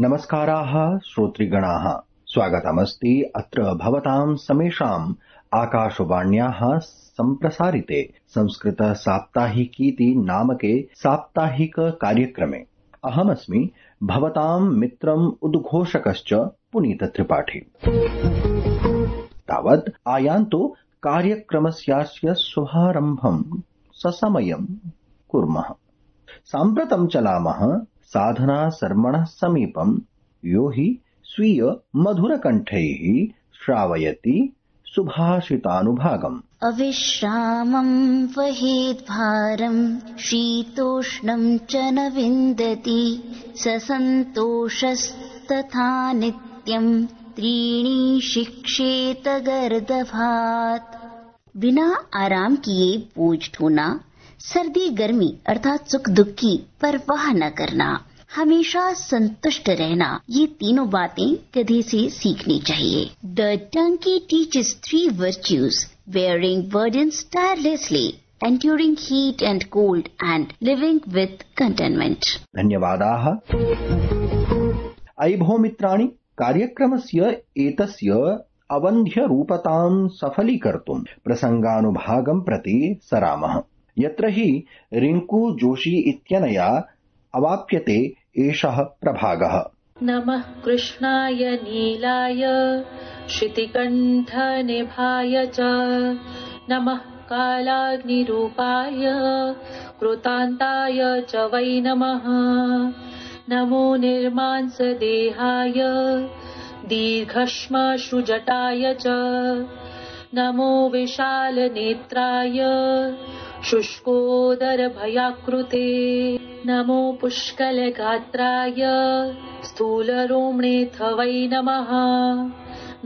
नमस्काराः श्रोतृगणाः, स्वागतमस्ति अत्र भवतां समेषाम् आकाशवाण्याः सम्प्रसारिते संस्कृत साप्ताहिकीति नामके साप्ताहिक कार्यक्रमे। अहमस्मि भवतां मित्रम् उद्घोषकश्च पुनीत त्रिपाठी। तावत् आयान्तु कार्यक्रमस्यास्य शुभारम्भं ससमयं कुर्मः। साम्प्रतं चलामः साधना शर्मणः समीपं यो हि स्वीय मधुरकण्ठैः श्रावयति सुभाषितानुभागम्। अविश्रामं वहेद्भारं शीतोष्णं च न विन्दति स सन्तोषस्तथा नित्यं त्रीणि शिक्षेत गर्दभात्। बिना आराम किए बोझ ढोना, सर्दी गर्मी अर्थात सुख दुख की परवाह न करना, हमेशा संतुष्ट रहना, ये तीनों बातें गधे से सीखनी चाहिए। The donkey teaches 3 virtues: bearing burdens tirelessly, enduring heat and cold, and living with contentment. धन्यवादाः। अयि भो मित्राणि, कार्यक्रमस्य एतस्य अवन्ध्यरूपतां सफलीकर्तुं प्रसङ्गानुभागं प्रति सरामः। यत्र हि रिङ्कू जोशी इत्यनया अवाप्यते एषः प्रभागः। नमः कृष्णाय नीलाय श्रुतिकण्ठनिभाय च, नमः कालाग्निरूपाय कृतान्ताय च वै नमः। नमो निर्मांसदेहाय दीर्घश्मश्रुजटाय च, नमो विशालनेत्राय शुष्कोदरभयाकृते, नमो पुष्कलगात्राय स्थूलरोम्णेऽथ वै नमः।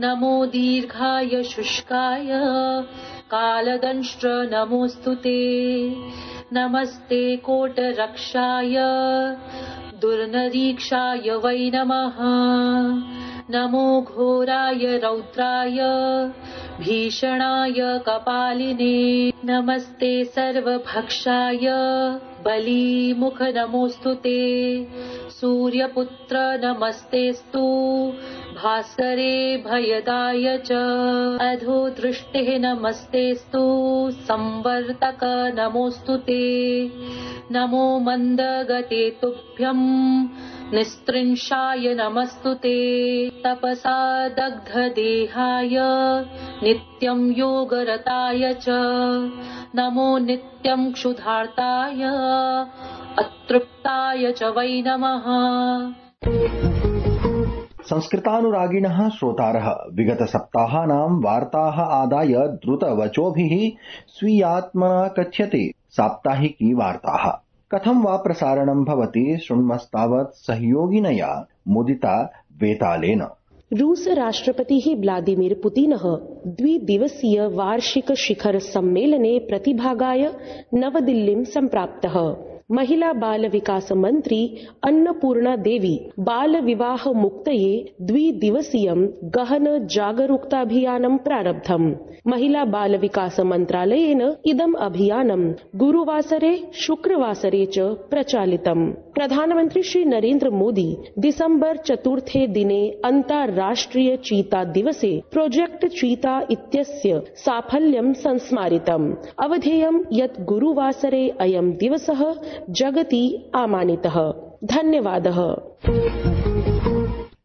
नमो दीर्घाय शुष्काय कालदंष्ट्र नमोऽस्तु ते। नमस्ते कोटरक्षाय दुर्निरीक्षाय वै नमः। नमो घोराय रौद्राय भीषणाय कपालिने, नमस्ते सर्वभक्षाय बलीमुख नमोऽस्तु ते। सूर्यपुत्र नमस्तेस्तु भास्करे भयदाय च, अधो दृष्टिः नमस्तेस्तु संवर्तक नमोऽस्तु ते। नमो मन्दगते तुभ्यं निस्त्रिंशाय नमस्तु ते। तपसा दग्धदेहाय नित्यं योगरताय च, नमो नित्यं क्षुधार्ताय अतृप्ताय च वै नमः। संस्कृतानुरागिणः श्रोतारः विगतसप्ताहानां वार्ताः आदाय द्रुतवचोभिः स्वीयात्मना कथ्यते साप्ताहिकी वार्ताः। कथं वा प्रसारणं भवति शृण्मस्तावत् सहयोगिनया मुदिता वेतालेन। रूस राष्ट्रपतिः व्लादिमीर पुतिनः 2 दिवसीय वार्षिक शिखर सम्मेलने प्रतिभागाय नवदिल्लीं सम्प्राप्तः। महिला बाल विकास मंत्री अन्नपूर्णा देवी बाल विवाह मुक्तये 2 दिवसीयं गहन जागरूकताभियानं प्रारब्धम्। महिला बाल विकास मन्त्रालयेन इदम् अभियानं गुरुवासरे शुक्रवासरे च प्रचालितम्। प्रधानमन्त्री श्री नरेन्द्र मोदी दिसम्बर 4 दिने अन्ताराष्ट्रिय चीता दिवसे प्रोजेक्ट चीता इत्यस्य साफल्यं संस्मारितम्। अवधेयं यत् गुरुवासरे अयं दिवसः जगति आमानितः। धन्यवादः।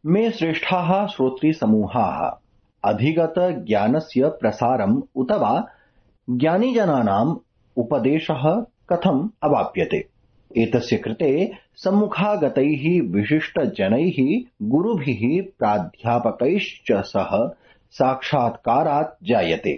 मे श्रेष्ठाः श्रोतृसमूहाः, अधिगत ज्ञानस्य प्रसारम् उत वा ज्ञानिजनानाम् उपदेशः कथम् अवाप्यते, एतस्य कृते सम्मुखागतैः विशिष्टजनैः गुरुभिः प्राध्यापकैश्च सह साक्षात्कारात् जायते।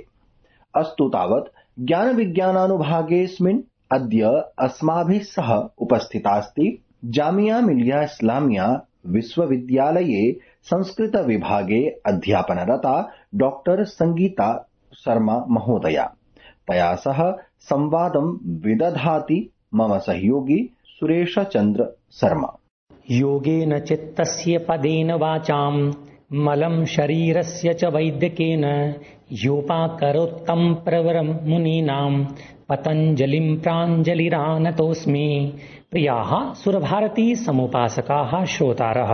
अस्तु तावत् ज्ञानविज्ञानानुभागेऽस्मिन् अद्य अस्माभिः सह उपस्थितास्ति जामिया मिलिया इस्लामिया विश्वविद्यालये संस्कृत विभागे अध्यापनरता डॉक्टर संगीता शर्मा महोदया। तया सह संवादं विदधाति मम सहयोगी सुरेश चंद्र शर्मा। योगेन चित्तस्य पदेन वाचां मलं शरीरस्य च वैद्यकेन योपाकरोत्तम प्रवरं मुनीनां पतञ्जलिं प्राञ्जलिरानतोऽस्मि। प्रियाः सुरभारती समुपासकाः श्रोतारः,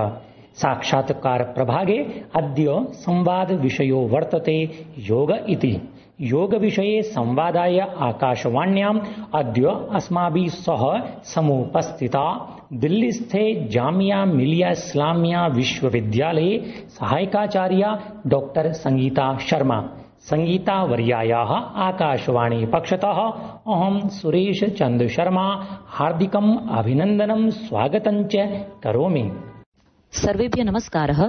साक्षात्कार प्रभागे अद्य संवाद विषयो वर्तते योग इति। योग विषये संवादाय आकाशवाण्याम् अद्य अस्माभिः सह समुपस्थिता दिल्लीस्थे जामिया मिलिया इस्लामिया विश्वविद्यालये सहायकाचार्या डॉक्टर संगीता शर्मा। संगीतावर्यायाः आकाशवाणी पक्षतः अहं सुरेश चंद्र शर्मा हार्दिकम् अभिनन्दनं स्वागतं च करोमि। सर्वेभ्यः नमस्कारः।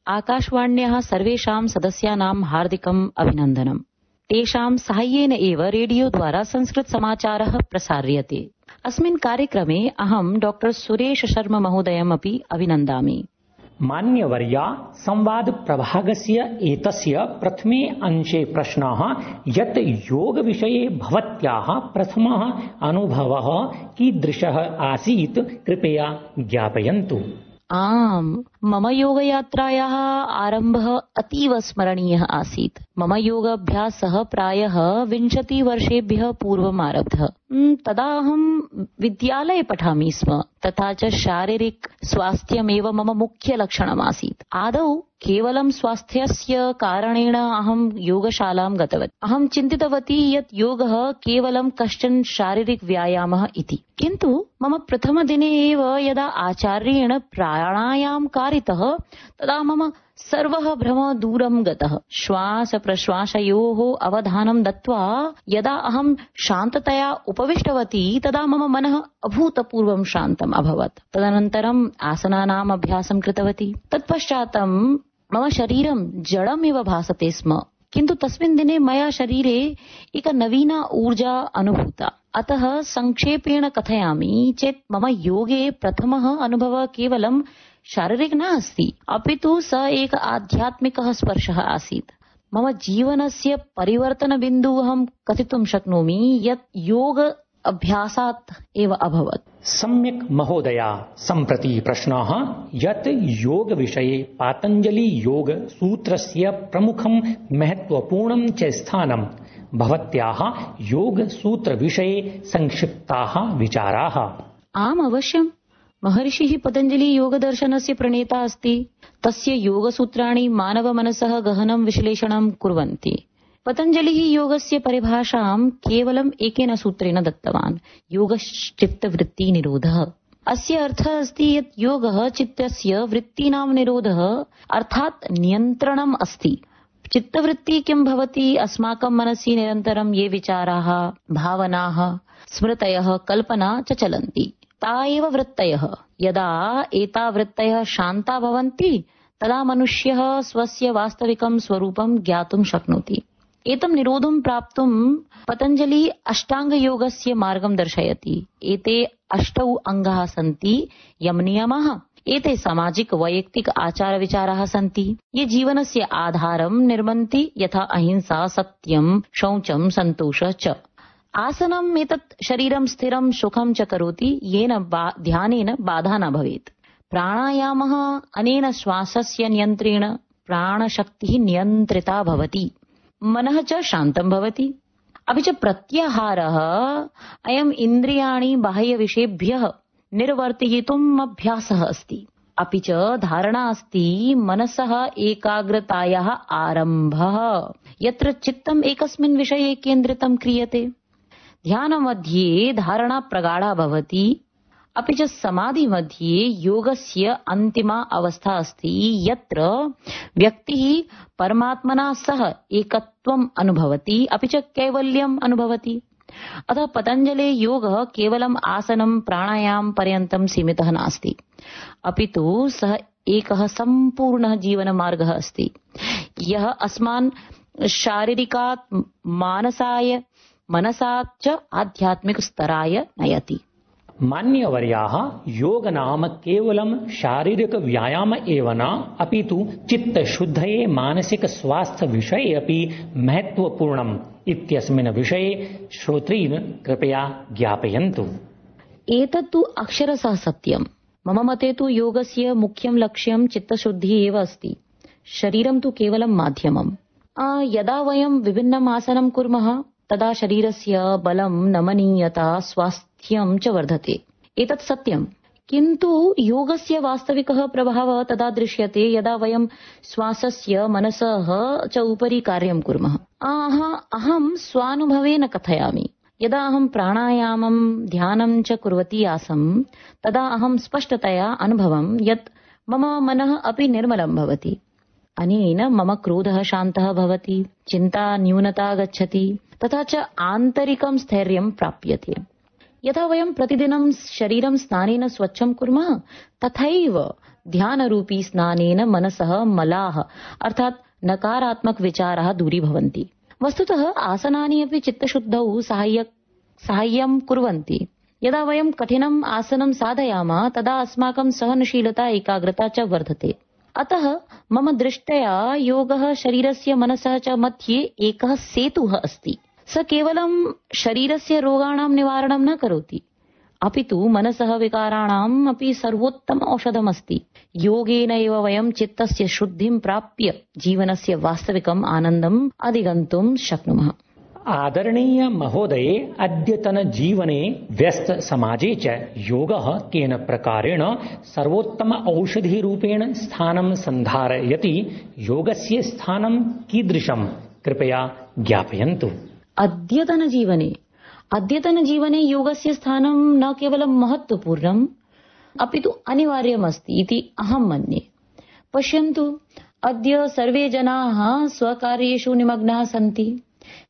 आकाशवाण्याः सर्वेषां सदस्यानां हार्दिकम् अभिनन्दनम्। तेषां साहाय्येन एव रेडियो द्वारा संस्कृत समाचारः प्रसार्यते। अस्मिन् कार्यक्रमे अहं डॉक्टर सुरेश शर्मा महोदयम् अपि अभिनन्दामि। मान्यवर्या संवाद प्रभागस्य एतस्य प्रथमे अंशे प्रश्नः यत् योग विषये भवत्याः प्रथमः अनुभवः कीदृशः आसीत् कृपया ज्ञापयन्तु। आम्, मम योगयात्रायाः आरम्भः अतीव स्मरणीयः आसीत्। मम योगाभ्यासः प्रायः 20 वर्षेभ्यः पूर्वम् आरब्धः। तदा अहं विद्यालये पठामि स्म, तथा च शारीरिक स्वास्थ्यमेव मम मुख्य लक्षणमासीत्। आदौ केवलं स्वास्थ्यस्य कारणेन अहं योगशालां गतवती। अहं चिन्तितवती यत् योगः केवलं कश्चन शारीरिक व्यायामः इति। किन्तु मम प्रथमदिने एव यदा आचार्येण प्राणायाम कारितः तदा मम सर्वः भ्रमः दूरं गतः। श्वास प्रश्वासयोः अवधानं दत्त्वा यदा अहं शान्ततया उपविष्टवती तदा मम मनः अभूतपूर्वं शान्तम् अभवत्। तदनन्तरम् आसनानाम् अभ्यासं कृतवती। तत्पश्चात् मम शरीरं जडमिव भासते स्म, किन्तु तस्मिन् दिने मया शरीरे एका नवीना ऊर्जा अनुभूता। अतः संक्षेपेण कथयामि चेत् मम योगे प्रथमः अनुभवः केवलं शारीरिक न अस्ति, अपितु स एक आध्यात्मिकः स्पर्शः आसीत्। मम जीवनस्य परिवर्तनबिन्दुः अहं कथितुं शक्नोमि यत् योग अभ्यासात् एव अभवत्। सम्यक् महोदया। सम्प्रति प्रश्नः यत् योग विषये पातञ्जलि योग सूत्रस्य प्रमुखं महत्वपूर्णं च स्थानं भवत्याः योग सूत्र विषये संक्षिप्ताः विचाराः। आम्, अवश्यम्। महर्षिः पतञ्जलि योगदर्शनस्य प्रणेता अस्ति। तस्य योगसूत्राणि मानवमनसः गहनं विश्लेषणं कुर्वन्ति। पतञ्जलिः योगस्य परिभाषां केवलम् एकेन सूत्रेण दत्तवान्, योगश्चित्तवृत्तिनिरोधः। अस्य अर्थः अस्ति यत् योगः चित्तस्य वृत्तीनां निरोधः अर्थात् नियन्त्रणम् अस्ति। चित्तवृत्ति किं भवति? अस्माकं मनसि निरन्तरं ये विचाराः, भावनाः, स्मृतयः, कल्पना च चलन्ति, ता एव वृत्तयः। यदा एता वृत्तयः शान्ता भवन्ति तदा मनुष्यः स्वस्य वास्तविकं स्वरूपं ज्ञातुं शक्नोति। एतं निरोधं प्राप्तुं पतञ्जलि अष्टाङ्गयोगस्य मार्गं दर्शयति। एते 8 अङ्गाः सन्ति, यम नियमः। एते सामाजिक वैयक्तिक आचार विचाराः सन्ति, ये जीवनस्य आधारं निर्मन्ति, यथा अहिंसा, सत्यं, शौचं, सन्तोषः च। आसनम् एतत् शरीरं स्थिरं सुखं च करोति, येन ध्यानेन बाधा न भवेत्। प्राणायामः अनेन श्वासस्य नियन्त्रेण प्राणशक्तिः नियन्त्रिता भवति, मनः च शान्तं भवति। अपि च प्रत्याहारः अयम् इन्द्रियाणि बाह्यविषयेभ्यः निर्वर्तयितुम् अभ्यासः अस्ति। अपि च धारणा अस्ति मनसः एकाग्रतायाः आरम्भः, यत्र चित्तम् एकस्मिन् विषये केन्द्रितं क्रियते। ध्यानमध्ये धारणा प्रगाढा भवति। अपि च समाधि मध्ये योगस्य अन्तिमा अवस्था अस्ति, यत्र व्यक्तिः परमात्मना सह एकत्वम् अनुभवति, अपि च कैवल्यम् अनुभवति। अतः पतञ्जले योगः केवलम् आसनं प्राणायाम पर्यन्तं सीमितः नास्ति, अपितु सः एकः सम्पूर्णः जीवनमार्गः अस्ति, यः अस्मान् शारीरिकात् मानसाय, मनसात् च आध्यात्मिक स्तराय नयति। मान्यवर्याः, योग नाम केवलं शारीरिक व्यायाम एव न, अपितु चित्तशुद्धये मानसिक स्वास्थ्य विषये अपि महत्वपूर्णम् इत्यस्मिन् विषये श्रोतॄन् कृपया ज्ञापयन्तु। एतत्तु अक्षरशः सत्यम्। मम मते तु योगस्य मुख्यं लक्ष्यं चित्तशुद्धिः एव अस्ति। शरीरं तु केवलं माध्यमम्। यदा वयं विभिन्नम् आसनं कुर्मः तदा शरीरस्य बलं, नमनीयता, स्वास्थ्यं च वर्धते। एतत् सत्यम्। किन्तु योगस्य वास्तविकः प्रभावः तदा दृश्यते यदा वयं श्वासस्य मनसः च उपरि कार्यं कुर्मः। अहं स्वानुभवेन कथयामि। यदा अहं प्राणायामं ध्यानं च कुर्वती आसम् तदा अहं स्पष्टतया अनुभवं यत् मम मनः अपि निर्मलं भवति। अनेन मम क्रोधः शान्तः भवति, चिन्ता न्यूनता गच्छति, तथा च आन्तरिकं स्थैर्यं प्राप्यते। यथा वयं प्रतिदिनं शरीरं स्नानेन स्वच्छं कुर्मः तथैव ध्यानरूपी स्नानेन मनसः मलाः अर्थात् नकारात्मक विचाराः दूरीभवन्ति। वस्तुतः आसनानि अपि चित्तशुद्धौ साहाय्यं कुर्वन्ति। यदा वयं कठिनम् आसनं साधयामः तदा अस्माकं सहनशीलता एकाग्रता च वर्धते। अतः मम दृष्ट्या योगः शरीरस्य मनसः च मध्ये एकः सेतुः अस्ति। स केवलं शरीरस्य रोगाणां निवारणं न करोति, अपितु मनसः विकाराणाम् अपि सर्वोत्तम औषधमस्ति। योगेन एव वयं चित्तस्य शुद्धिं प्राप्य जीवनस्य वास्तविकम् आनन्दम् अधिगन्तुं शक्नुमः। आदरणीय महोदये, अद्यतन जीवने व्यस्त समाजे च योगः केन प्रकारेण सर्वोत्तम औषधिरूपेण स्थानं सन्धारयति? योगस्य स्थानं कीदृशं? कृपया ज्ञापयन्तु। अद्यतन जीवने योगस्य स्थानं न केवलं महत्वपूर्णम् अपितु अनिवार्यमस्ति इति अहं मन्ये। पश्यन्तु, अद्य सर्वे जनाः स्वकार्येषु निमग्नाः सन्ति।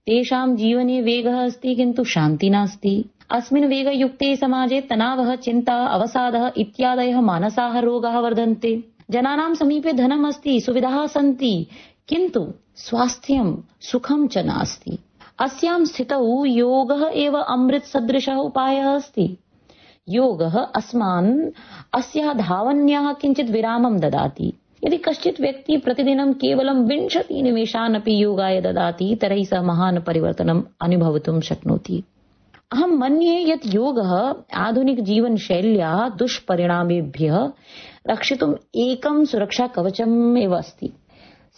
तेषां जीवने वेगः अस्ति किन्तु शान्ति नास्ति। अस्मिन् वेगयुक्ते समाजे तनावः, चिन्ता, अवसादः इत्यादयः मानसाः रोगाः वर्धन्ते। जनानां समीपे धनम् अस्ति, सुविधाः सन्ति, किन्तु स्वास्थ्यं सुखं च नास्ति। अस्यां स्थितौ योगः एव अमृतसदृशः उपायः अस्ति। योगः अस्मान् अस्याः धावन्याः किञ्चित् विरामं ददाति। यदि कश्चित् व्यक्ति प्रतिदिनं केवलं 20 निमेषान् अपि योगाय ददाति तर्हि सः महान् परिवर्तनम् अनुभवितुं शक्नोति। अहं मन्ये यत् योगः आधुनिकजीवनशैल्याः दुष्परिणामेभ्यः रक्षितुम् एकं सुरक्षाकवचम् एव अस्ति।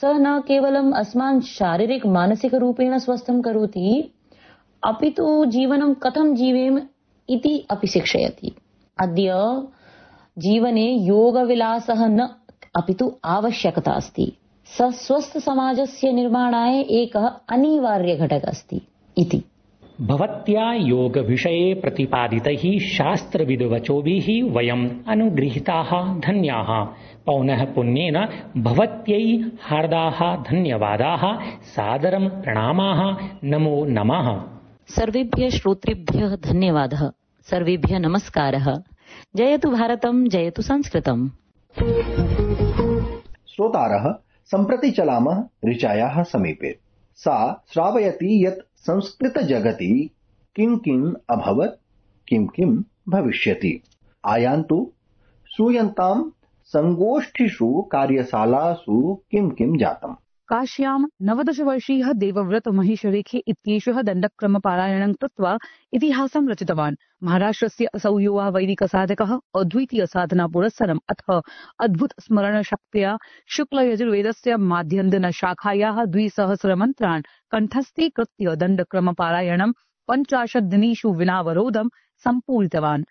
स न केवलम् अस्मान् शारीरिक मानसिक रूपेण स्वस्थं करोति, अपितु जीवनं कथं जीवेम इति अपि शिक्षयति। अद्य जीवने योगविलासः न अपितु आवश्यकता अस्ति। स स्वस्थ समाजस्य निर्माणाय एकः अनिवार्य घटकः अस्ति इति। भवत्या योग विषये प्रतिपादितैः शास्त्रविद्वचोभिः वयम् अनुगृहीताः धन्याः। पौनः पुण्येन भवत्यै हार्दाः धन्यवादाः, सादरं प्रणामाः, नमो नमः। सर्वेभ्यः श्रोतृभ्यः धन्यवादः, सर्वेभ्यः नमस्कारः। जयतु भारतं, जयतु संस्कृतम्। श्रोतारः, सम्प्रति चलामः ऋचायाः समीपे। सा श्रावयति यत् संस्कृतजगति किं किम् अभवत्, किं किं भविष्यति। आयान्तु, श्रूयन्ताम् संगोष्ठिषु कार्यशालासु किं किं जातम्। काश्यां 19 वर्षीयः देवव्रत महिषरेखे इत्येषः दण्डक्रमपारायणं कृत्वा इतिहासं रचितवान्। महाराष्ट्रस्य असौ युवा वैदिकसाधकः अद्वितीयसाधनापुरस्सरम् अथ अद्भुतस्मरणशक्त्या शुक्लयजुर्वेदस्य माध्यन्दिनशाखायाः 200 मन्त्रान् कण्ठस्थीकृत्य दण्डक्रमपारायणं 50 दिनेषु विनावरोधं सम्पूरितवान्।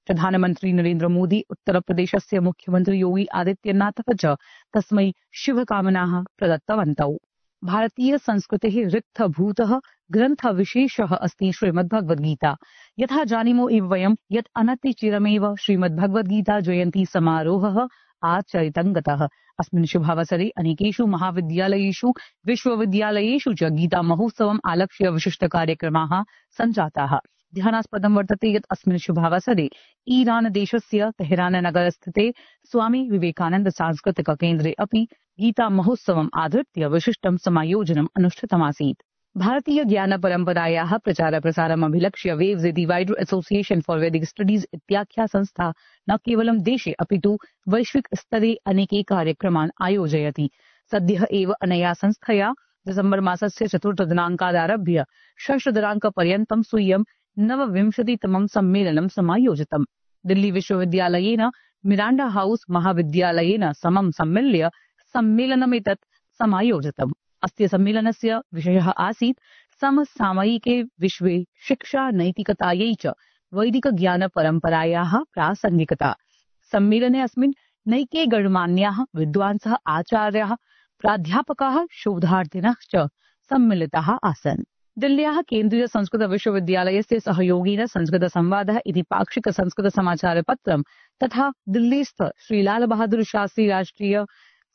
प्रधानमन्त्री नरेन्द्र मोदी, उत्तरप्रदेशस्य मुख्यमन्त्री योगी आदित्यनाथः च तस्मै शुभकामनाः प्रदत्तवन्तौ। भारतीय संस्कृतेः रिक्थभूतः ग्रन्थविशेषः अस्ति श्रीमद्भगवद्गीता। यथा जानीमो एव वयं यत् अनतिचिरमेव श्रीमद्भगवद्गीता जयन्ती समारोहः आचरितं गतः। अस्मिन् शुभावसरे अनेकेषु महाविद्यालयेषु, विश्वविद्यालयेषु च गीता महोत्सवम् आलक्ष्य विशिष्टकार्यक्रमाः सञ्जाताः। ध्यानास्पदं वर्तते यत् अस्मिन् शुभावसरे ईरान देशस्य तेहरान नगरस्थिते स्वामी विवेकानन्द सांस्कृतिक केन्द्रे अपि गीता महोत्सवम् आधृत्य विशिष्टं समायोजनम् अनुष्ठितमासीत्। भारतीय ज्ञान परम्परायाः प्रचार प्रसारम् अभिलक्ष्य waves the divider association for वैदिक स्टडीज इत्याख्या संस्था न केवलं देशे अपितु वैश्विक स्तरे अनेके कार्यक्रमान् आयोजयति। सद्यः एव अनया संस्थया डिसेम्बर मासस्य 4 दिनाङ्कादारभ्य 6 दिनाङ्कपर्यन्तं स्वीयं 29तमं सम्मेलनं समायोजितम्। दिल्ली विश्वविद्यालयेन मिराण्डा हाउस महाविद्यालयेन समं सम्मिल्य सम्मेलनमेतत् समायोजितम्। अस्य सम्मेलनस्य विषयः आसीत् समसामयिके विश्वे शिक्षा नैतिकतायै च वैदिक ज्ञान परम्परायाः प्रासङ्गिकता। सम्मेलने अस्मिन् नैके गणमान्याः विद्वांसः, आचार्याः, प्राध्यापकाः, शोधार्थिनः च सम्मिलिताः आसन्। दिल्ल्याः केन्द्रीय संस्कृत विश्वविद्यालयस्य सहयोगेन संस्कृत संवादः इति पाक्षिक संस्कृत समाचारपत्रं तथा दिल्लीस्थ श्रीलाल बहादुर शास्त्री राष्ट्रिय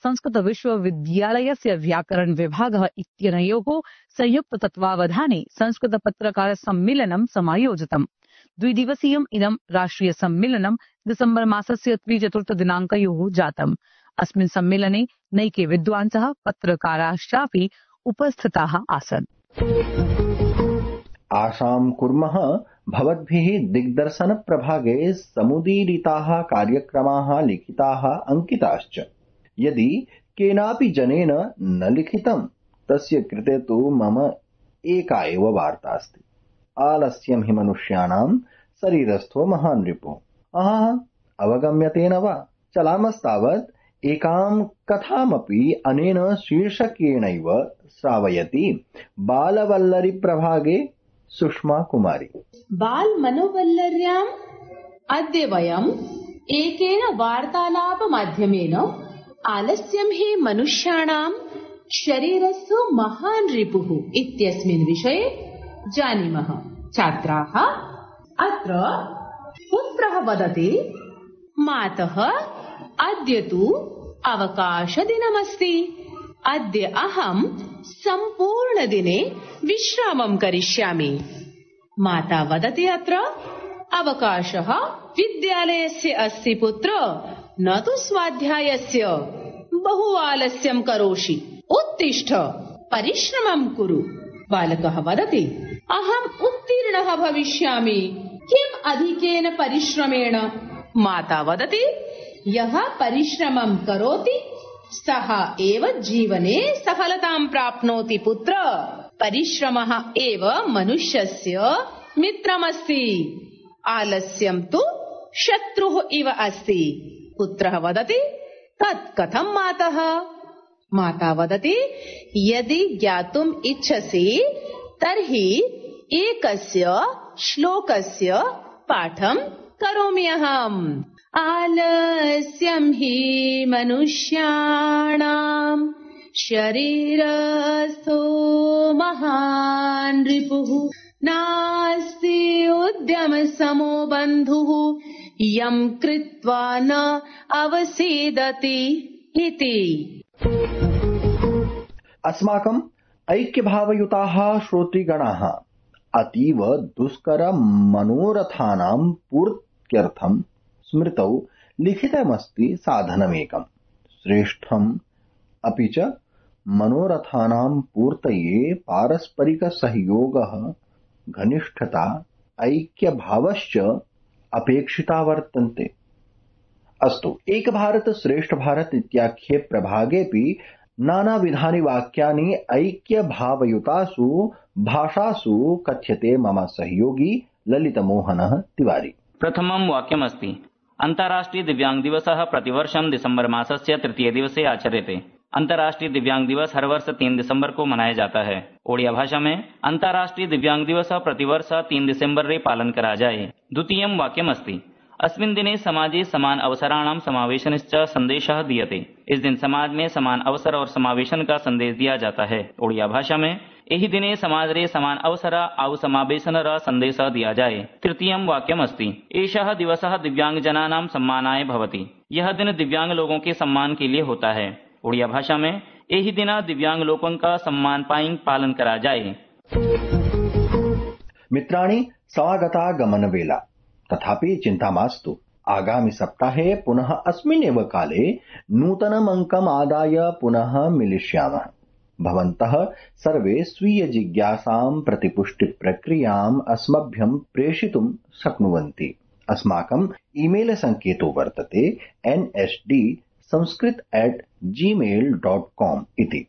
संस्कृत विश्वविद्यालयस्य व्याकरण विभागः इत्यनयोः संयुक्त तत्त्वावधाने संस्कृत पत्रकार सम्मेलनं समायोजितम्। द्विदिवसीयम् इदं राष्ट्रिय सम्मेलनं डिसेम्बर मासस्य 3-4 दिनाङ्कयोः जातम्। अस्मिन् सम्मेलने नैके विद्वांसः, पत्रकाराश्चापि उपस्थिताः आसन्। आशां कुर्मः भवद्भिः दिग्दर्शन प्रभागे समुदीरिताः कार्यक्रमाः लिखिताः अंकिताश्च। यदि केनापि जनेन न लिखितं तस्य कृते तु मम एका एव वार्ता अस्ति। आलस्यं हि मनुष्याणां शरीरस्थो महान् रिपुः। अवगम्यते न वा? चलामस्तावत् एकां कथामपि अनेन शीर्षकेणैव श्रावयति बालवल्लरी प्रभागे सुषमा कुमारी। बाल मनोवल्लर्याम् अद्य वयम् एकेन वार्तालाप माध्यमेन आलस्यं हि मनुष्याणां शरीरस्य महान् रिपुः इत्यस्मिन् विषये जानीमः। छात्राः, अत्र पुत्रः वदति, मातः अद्य तु अवकाशदिनमस्ति। अद्य अहं सम्पूर्णदिने विश्रामं करिष्यामि। माता वदति, अत्र अवकाशः विद्यालयस्य अस्ति पुत्र, न तु स्वाध्यायस्य। बहु आलस्यं करोषि, उत्तिष्ठ, परिश्रमं कुरु। बालकः वदति, अहम् उत्तीर्णः भविष्यामि। किम् अधिकेन परिश्रमेण? माता वदति, यः परिश्रमं करोति सः एव जीवने सफलतां प्राप्नोति पुत्र। परिश्रमः एव मनुष्यस्य मित्रमस्ति। आलस्यं तु शत्रुः इव अस्ति। पुत्रः वदति, तत् कथं मातः? माता वदति, यदि ज्ञातुम् इच्छसि तर्हि एकस्य श्लोकस्य पाठं करोमि अहम्। आलस्यं हि मनुष्याणां शरीरस्थो महान् रिपुः, नास्ति उद्यमसमो बन्धुः, यं कृत्वा न अवसीदति इति। अस्माकम् ऐक्यभावयुताः श्रोतृगणाः अतीव दुष्कर मनोरथानां पूर्त्यर्थं स्मृतौ लिखितमस्ति साधनमेकम् श्रेष्ठम्। अपि च मनोरथानां पूर्तये पारस्परिकसहयोगः, घनिष्ठता, ऐक्यभावश्च अपेक्षिता वर्तन्ते। अस्तु, एक भारत श्रेष्ठ भारत इत्याख्ये प्रभागेऽपि नानाविधानि वाक्यानि ऐक्यभावयुतासु भाषासु कथ्यते। मम सहयोगी ललितमोहनः तिवारी। प्रथमं वाक्यमस्ति, अन्ताराष्ट्रीय दिव्यांग दिवसः प्रतिवर्षं दिसंबर मासस्य 3 दिवसे आचर्यते। अंतर्राष्ट्रीय दिव्यांग दिवस हर वर्ष 3 दिसंबर को मनाया जाता है। ओडिया भाषा में अंतर्राष्ट्रीय दिव्यांग दिवस प्रतिवर्ष 3 दिसंबर रे पालन करा जाए। द्वितीयं वाक्यमस्ति, अस्मिन् दिने समाजे समान अवसराणां समावेशनश्च संदेशः दीयते। इस दिन समाज में समान अवसर और समावेशन का संदेश दिया जाता है। ओडिया भाषा में एहि दिने समाज रे समान अवसर आउ समावेशन र संदेश दिया जाए। तृतीयं वाक्यमस्ति, एषः दिवसः दिव्यांग जनानां सम्मानाय भवति। यह दिन दिव्यांग लोगों के सम्मान के लिए होता है। ओडिया भाषा में एहि दिन दिव्यांग लोगों का सम्मान पाइन पालन करा जाए। मित्राणि, समागता गमनवेला, तथापि चिंता मास्तु। आगामि सप्ताहे पुनः अस्मिन्नेव काले नूतनम् अङ्कम् आदाय पुनः मिलिष्यामः। भवन्तः सर्वे स्वीय जिज्ञासां प्रतिपुष्टि प्रक्रियाम् अस्मभ्यं प्रेषितुं शक्नुवन्ति। अस्माकम् ईमेल सङ्केतो वर्तते nsdsanskrit@gmail.com इति।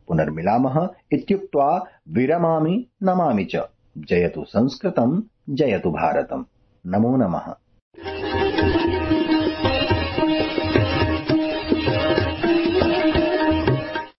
पुनर्मिलामः इत्युक्त्वा विरमामि, नमामि च। जयतु संस्कृतं, जयतु भारतम्। नमो नमः।